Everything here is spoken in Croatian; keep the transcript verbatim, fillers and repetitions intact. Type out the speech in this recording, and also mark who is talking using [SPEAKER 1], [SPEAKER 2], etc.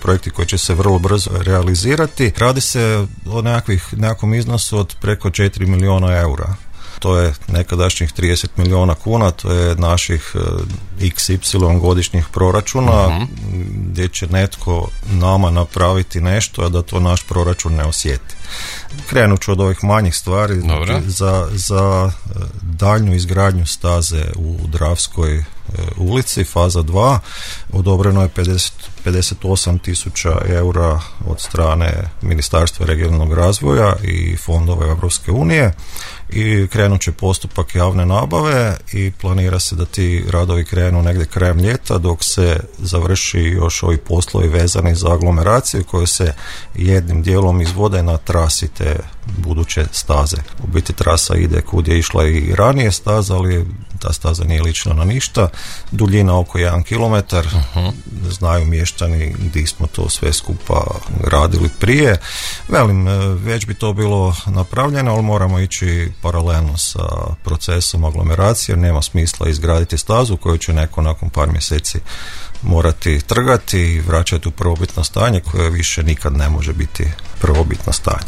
[SPEAKER 1] projekti koji će se vrlo brzo realizirati. Radi se o nekakvih, nekakvom iznosu od preko četiri milijuna eura. To je nekadašnjih trideset milijuna kuna, to je naših iks ipsilon godišnjih proračuna, uh-huh. gdje će netko nama napraviti nešto, a da to naš proračun ne osjeti. Krenut ću od ovih manjih stvari. Za, za daljnju izgradnju staze u Dravskoj ulici, faza dva, odobreno je pedeset, pedeset osam tisuća eura od strane Ministarstva regionalnog razvoja i fondova Europske unije i krenut će postupak javne nabave i planira se da ti radovi krenu negdje krajem ljeta, dok se završi još ovi poslovi vezani za aglomeraciju koji se jednim dijelom izvode na trasi te buduće staze. U biti trasa ide kud je išla i ranije staza, ali ta staza nije lična na ništa. Duljina oko jedan kilometar. Uh-huh. Znaju mještani gdje smo to sve skupa radili prije. Velim, već bi to bilo napravljeno, ali moramo ići paralelno sa procesom aglomeracije, jer nema smisla izgraditi stazu koju će neko nakon par mjeseci morati trgati i vraćati u prvobitno stanje koje više nikad ne može biti prvobitno stanje.